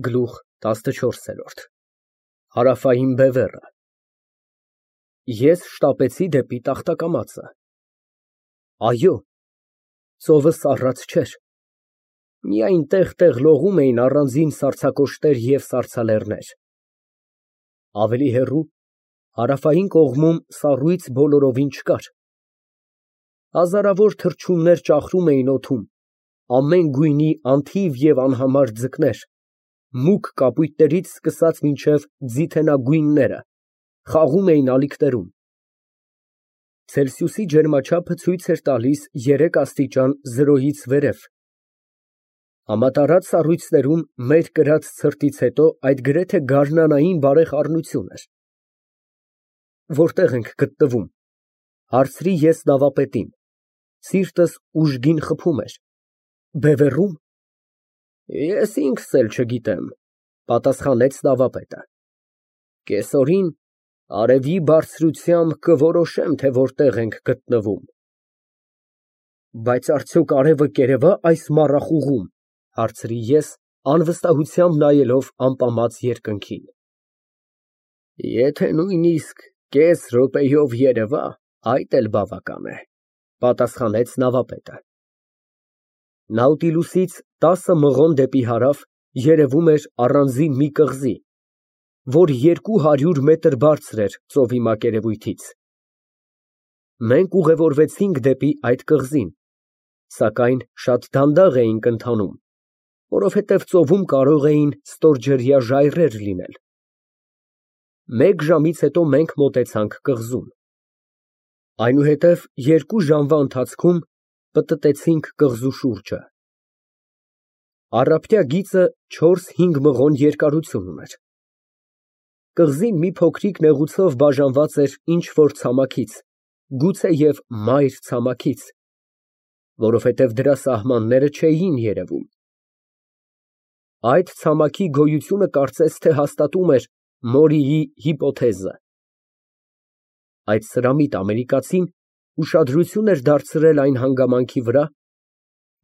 Գլուխ ՏԱՍՆՉՈՐՍԵՐՈՐԴ Հարավային բևեռը Ես շտապեցի դեպի տախտակամածը։ Այո, ծովը սառած չէր, միայն տեղ֊տեղ լողում էին առանձին սառցակոշտեր և սառցալեռներ։ Ավելի հեռու, հարավային կողմում սառույց բոլորովին չկար։ Հազարավոր թռչուններ ճախրում էին օդում, ամեն գույնի անթիվ և անհամար ձկներ, մուգ կապույտներից սկսած մինչև ձիթենագույնները, խաղում էին ալիքներում։ Ցելսիուսի ջերմաչափը ցույց էր տալիս 3 աստիճան 0-ից վերև։ Համատարած սառույցներում մեր կրած ցրտից հետո այդ գրեթե գարնանային բարեխառնություն էր։ Որտե՞ղ ենք գտնվում, հարցրի ես նավապետին, սիրտս ուժգին խփում էր։ Բևեռո՞ւմ։ Ես ինքս էլ չգիտեմ, պատասխանեց նավապետը։ Կեսօրին արևի բարձրությամբ կորոշեմ, թե որտեղ ենք գտնվում։ Բայց արդյոք արևը կերևա՞ այս մառախուղում, հարցրի ես, անվստահությամբ նայելով ամպամած երկնքին։ Եթե նույնիսկ կես րոպեով երևա, այդ էլ բավական է, պատասխանեց նավապետը։ Նաուտիլուսից 10 մղոն դեպի հարավ երևում էր առանձին մի կղզի, որ 200 մետր բարձր էր ծովի մակերևույթից։ Մենք ուղևորվեցինք դեպի այդ կղզին, սակայն շատ դանդաղ էինք ընթանում, որովհետև ծովում կարող էին ստորջրյա ժայռեր լինել։ Մեկ ժամից հետո մենք մոտեցանք կղզուն։ Այնուհետև 2 ժամվա ընթացքում պտտեցինք կղզու շուրջը։ Առափնյա գիծը 4-5 մղոն երկարություն ուներ։ Կղզին մի փոքրիկ նեղուցով բաժանված էր ինչ֊որ ցամաքից, գուցեև մայր ցամաքից, որովհետև դրա սահմանները չէին երևում։ Այդ ցամաքի գոյությունը կարծես թե հաստատում էր Մորիի հիպոթեզը։ Այդ սրամիտ ամերիկացին ուշադրություն էր դարձրել այն հանգամանքի վրա,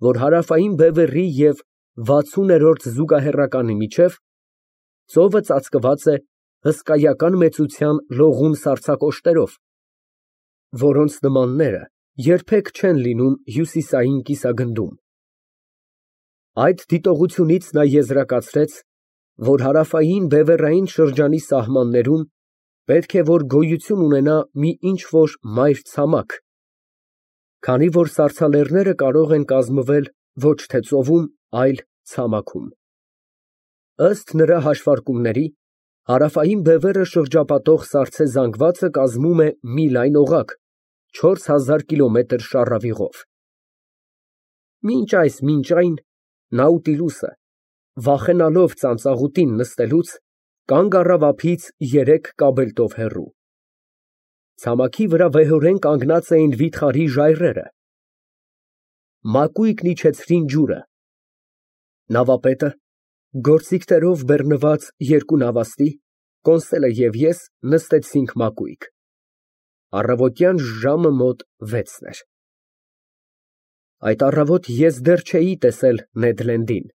որ հարավային բևեռի և 60-րդ զուգահեռականի միջև ծովը ծածկված է հսկայական մեծության լողուն սառցակոշտերով, որոնց նմանները երբեք չեն լինում հյուսիսային կիսագնդում։ Այդ դիտողությունից նա եզրակացրեց, որ հարավային բևեռային շրջանի սահմաններում պետք է որ գոյություն ունենա մի ինչ֊որ մայր ցամաք, քանի որ սառցալեռները կարող են կազմվել ոչ թե ծովում, այլ ցամաքում։ Ըստ նրա հաշվարկումների, հարավային բևեռը շրջապատող սառցե զանգվածը կազմում է մի լայն օղակ 4000 կիլոմետր շառավիղով։ Մինչ այն Նաուտիլուսը, վախենալով ծանծաղուտին նստելուց, կանգ առավ ափից 3 կաբելտով հեռու։ Ցամաքի վրա վեհորեն կանգնած էին վիթխարի ժայռերը։ Մակույկն իջեցրին ջուրը։ Նավապետը, գործիքներով բեռնված 2 նավաստի, Կոնսելը և ես նստեցինք մակույկ։ Առավոտյան ժամը մոտ 6 էր։ Այդ առավոտ ես դեռ չէի տեսել Նեդ Լենդին։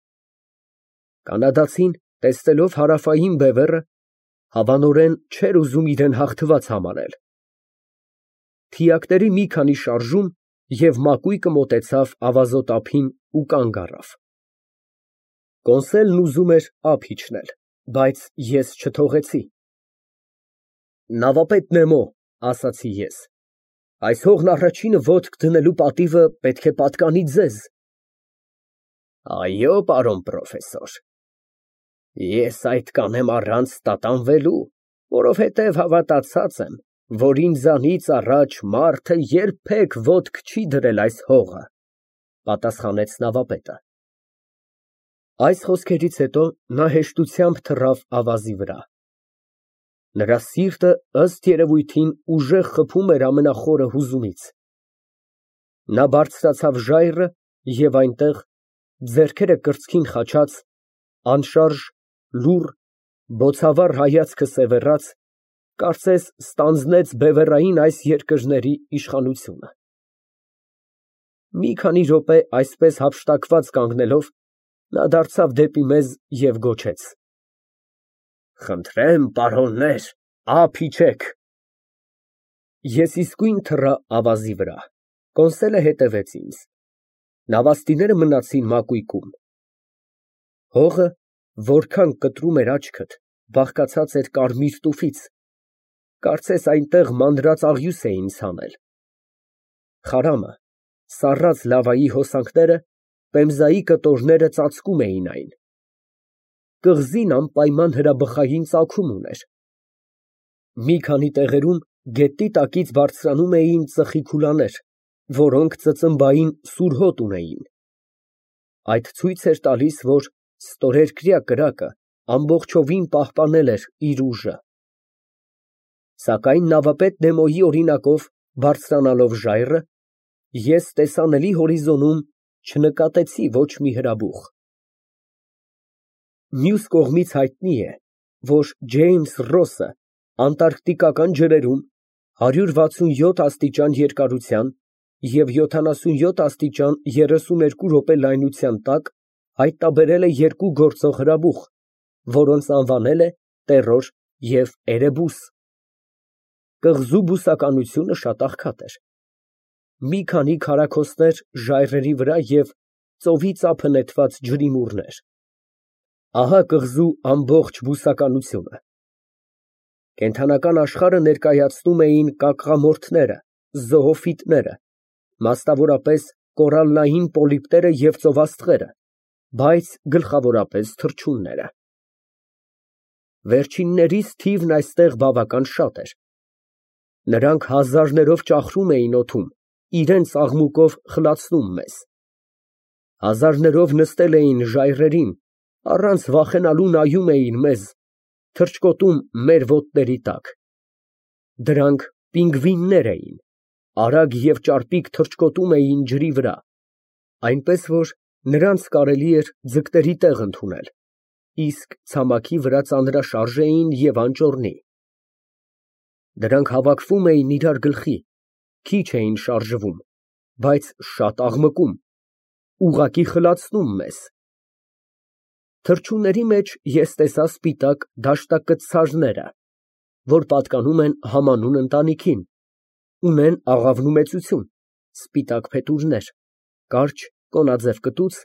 Կանադացին, տեսնելով հարավային բևեռը, հավանորեն չէր ուզում իրեն հաղթված համարել։ Թիակների մի քանի շարժում, և մակույկը մոտեցավ ավազոտ ափին ու կանգ առավ։ Կոնսելն ուզում էր ափ իջնել, բայց ես չթողեցի։ Նավապետ Նեմո, ասացի ես, այս հողն առաջինը ոտք դնելու պատիվը պետք է պատկանի ձեզ։ Այո, պարոն պրոֆեսոր, ես այդ կանեմ առանց տատանվելու, որովհետև հավատացած եմ, որ ինձանից առաջ մարդը երբեք ոտք չի դրել այս հողը, պատասխանեց նավապետը։ Այս խոսքերից հետո նա հեշտությամբ թռավ ավազի վրա։ Նրա սիրտը, ըստ երևույթին, ուժեղ խփում էր ամենախորը հուզումից։ Նա բարձրացավ ժայռը և այնտեղ, ձեռքերը կրծքին խաչած, անշարժ, լուռ, բոցավառ հայացքը սևեռած, կարծես ստանձնեց բևեռային այս երկրների իշխանությունը։ Մի քանի րոպե այսպես հափշտակված կանգնելով, Նա դարձավ դեպի մեզ և գոչեց. Խնդրեմ, պարոններ, ափ իջեք։ Ես իսկույն թռա ավազի վրա, Կոնսելը հետևեց ինձ։ Նավաստիները մնացին մակույկում։ Հողը, որքան կտրում էր աչքդ, բաղկացած էր կարմիր տուֆից, կարծես այնտեղ մանրած աղյուս էին ցանել։ Խարամը, սառած լավայի հոսանքները, պեմզայի կտորները ծածկում էին այն։ Կղզին անպայման հրաբխային ծագում ուներ։ Մի քանի տեղերում գետնի տակից բարձրանում էին ծխի քուլաներ, որոնք ծծմբային սուր հոտ ունեին։ Այդ ցույց էր տալիս, որ ստորերկրյա կրակը ամբողջովին պահպանել էր իր ուժը։ Սակայն նավապետ Նեմոյի օրինակով բարձրանալով ժայռը, ես տեսանելի հորիզոնում չնկատեցի ոչ մի հրաբուխ։ Մյուս կողմից հայտնի է, որ Ջեյմս Ռոսը անտարկտիկական ջրերում 167 աստիճան երկարության և 77 աստիճան 32 րոպե լայնության տակ հայտնաբերել է երկու գործող հրաբուխ, որոնց անվանել է Տերոր և Էրեբուս։ Կղզու բուսականությունը շատ աղքատ էր։ Մի քանի քարաքոստեր ժայռերի վրա և ծովի ծափը նետված ջրիմուռներ։ Ահա կղզու ամբողջ բուսականությունը։ Կենդանական աշխարհը ներկայացնում էին կակղամորթները, զոոֆիտները, մասնավորապես կորալլային պոլիպները և ծովաստղերը, բայց գլխավորապես թռչունները։ Վերջիններիս թիվն այստեղ բավական շատ էր։ Նրանք հազարներով ճախրում էին օդում, իրենց աղմուկով խլացնում մեզ։ Հազարներով նստել էին ժայռերին, առանց վախենալու նայում էին մեզ, թռչկոտում մեր ոտների տակ։ Դրանք պինգվիններ էին, արագ և ճարպիկ թռչկոտում էին ջրի վրա, այնպես որ նրանց կարելի էր ձկների տեղ ընդունել, իսկ ցամաքի վրա ծանրաշարժ էին և անճոռնի։ Դրանք հավաքվում էին իրար գլխի, քիչ էին շարժվում, բայց շատ աղմկում, ուղղակի խլացնում մեզ։ Թռչունների մեջ ես տեսա սպիտակ դաշտակցարները, որ պատկանում են համանուն ընտանիքին, ունեն աղավնու մեծություն, սպիտակ փետուրներ, կարճ կոնաձև կտուց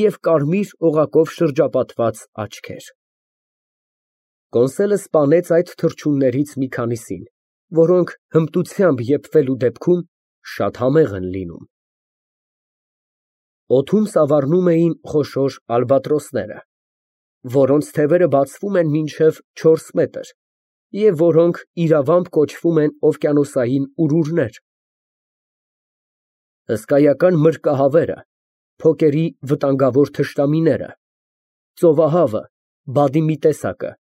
և կարմիր օղակով շրջապատված աչքեր։ Կոնսելը սպանեց այդ թռչուններից մի քանիսին, որոնք հմտությամբ եփվելու դեպքում շատ համեղ են լինում։ Օդում սավառնում էին խոշոր ալբատրոսները, որոնց թևերը բացվում են մինչև 4 մետր և որոնք իրավամբ կոչվում են օվկիանոսային ուրուրներ։ Հսկայական մրրկահավերը, փոկերի վտանգավոր թշնամիները, ծովահավը, բադի մի տեսակը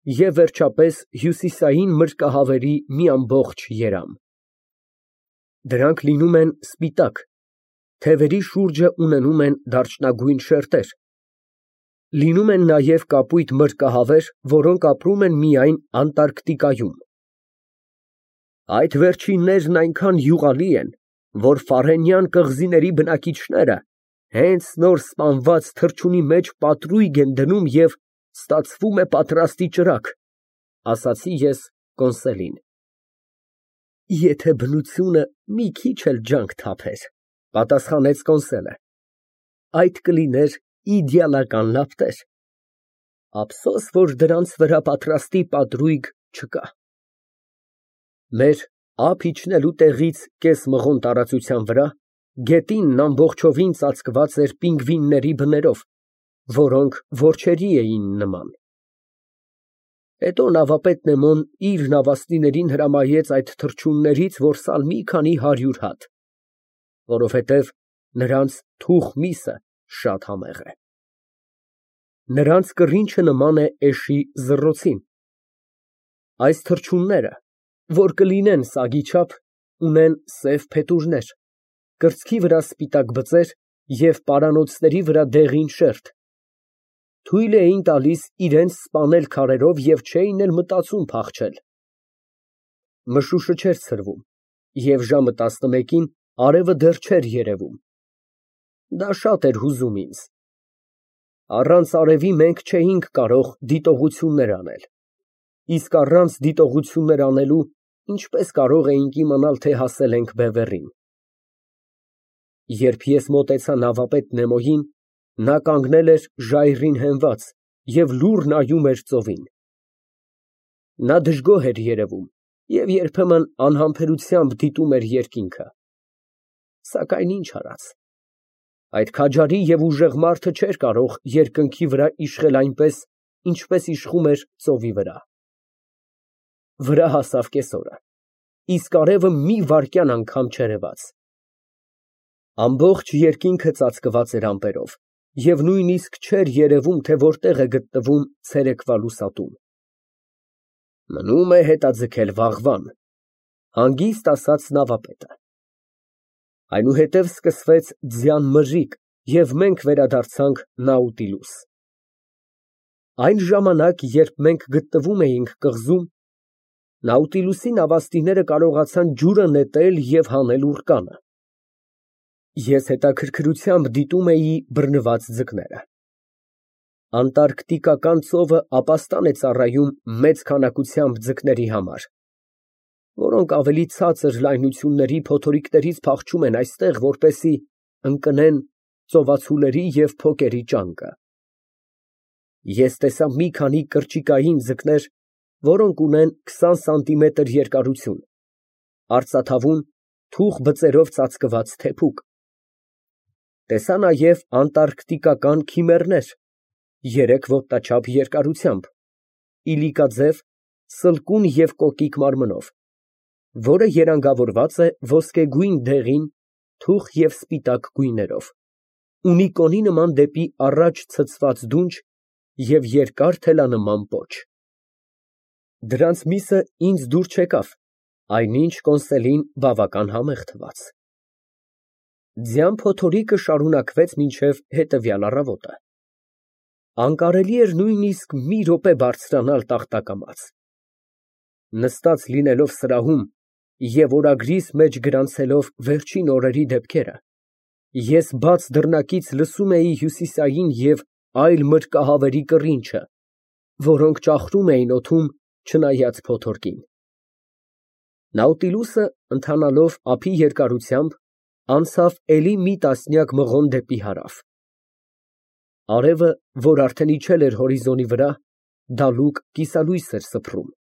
և վերջապես հյուսիսային մրրկահավերի մի ամբողջ երամ։ Դրանք լինում են սպիտակ, թևերի շուրջը ունենում են դարչնագույն շերտեր։ Լինում են նաև կապույտ մրրկահավեր, որոնք ապրում են միայն Անտարկտիկայում։ Այդ վերջիններն այնքան յուղալի են, որ Ֆարենյան կղզիների բնակիչները հենց նոր սպանված թռչունի մեջ պատրույգ են դնում և ստացվում է պատրաստի ճրագ, ասացի ես Կոնսելին։ Եթե բնությունը մի քիչ էլ ջանք թափեր, պատասխանեց Կոնսելը, այդ կլիներ իդեալական լապտեր։ Ափսոս, որ դրանց վրա պատրաստի պատրույգ չկա։ Մեր ափ իջնելու տեղից կես մղոն տարածության վրա գետինն ամբողջովին ծածկված էր պինգվինների բներով, որոնք որջերի էին նման։ Հետո նավապետ Նեմոն իր նավաստիներին հրամայեց այդ թռչուններից որսալ մի քանի 100 հատ, որովհետև նրանց թուխ միսը շատ համեղ է։ Նրանց կռինչը նման է էշի զռոցին։ Այս թռչունները, որ կլինեն սագի չափ, ունեն սև փետուրներ, կրծքի վրա սպիտակ բծեր և պարանոցների վրա դեղին շերտ, թույլ էին տալիս իրենց սպանել քարերով և չէին էլ մտածում փախչել։ Մշուշը չէր ցրվում, և ժամը 11-ին արևը դեռ չէր երևում։ Դա շատ էր հուզում ինձ։ Առանց արևի մենք չէինք կարող դիտողություններ անել, իսկ առանց դիտողություններ անելու ինչպես կարող էինք իմանալ, թե հասել ենք բևեռին։ Երբ ես մոտեցա նավապետ Նեմոյին, նա կանգնել էր ժայռին հենված և լուռ նայում էր ծովին։ Նա դժգոհ էր երևում և երբեմն անհամբերությամբ դիտում էր երկինքը, սակայն ինչ արած, այդ քաջարի և ուժեղ մարդը չէր կարող երկնքի վրա իշխել այնպես, ինչպես իշխում էր ծովի վրա։ Վրա հասավ կեսօրը, իսկ արևը մի վայրկյան անգամ չերևաց։ Ամբողջ երկինքը ծածկված էր ամպերով և նույնիսկ չէր երևում, թե որտեղ է գտնվում ցերեկվա լուսատուն։ Մնում է հետաձգել վաղվան, հանգիստ ասաց նավապետը։ Այնուհետև սկսվեց ձյան մրրիկ, և մենք վերադարձանք Նաուտիլուս։ Այն ժամանակ, երբ մենք գտնվում էինք կղզում, Նաուտիլուսի նավաստիները կարողացան ջուրը նետել և հանել ուռկանը։ Ես հետաքրքրությամբ դիտում էի բռնված ձկները։ Անտարկտիկական ծովը ապաստան է ծառայում մեծ քանակությամբ ձկների համար, որոնք ավելի ցածր լայնությունների փոթորիկներից փախչում են այստեղ, որպեսզի ընկնեն ծովացուների և փոկերի ճանկը։ Ես տեսա մի քանի կրճիկային ձկներ, որոնք ունեն 20 սանտիմետր երկարություն, արծաթավուն, թուխ բծերով ծածկված թեփուկ։ Տեսա նաև անտարկտիկական քիմեռներ 3 ոտնաչափ երկարությամբ, իլիկաձև, սլկուն և կոկիկ մարմնով, որը երանգավորված է ոսկեգույն դեղին, թուխ և սպիտակ գույներով, ունի կոնի նման դեպի առաջ ցցված դունչ և երկար թելանման պոչ։ Դրանց միսը ինձ դուր չեկավ, այնինչ կոնսելին բավական համեղ թվաց։ Ձյան փոթորիկը շարունակվեց մինչև հետևյալ առավոտը։ Անկարելի էր նույնիսկ մի րոպե բարձրանալ տախտակամաց։ Նստած լինելով սրահում և օրագրիս մեջ գրանցելով վերջին օրերի դեպքերը, ես բաց դռնակից լսում էի հյուսիսային և այլ մրրկահավերի կռինչը, որոնք ճախրում էին օդում, չնայած փոթորկին։ Նաուտիլուսը, ընթանալով ափի երկարությամբ, անցավ էլի մի տասնյակ մղոն դեպի հարավ։ Արևը, որ արդեն իջել էր հորիզոնի վրա, դալուկ կիսալույս էր սփռում։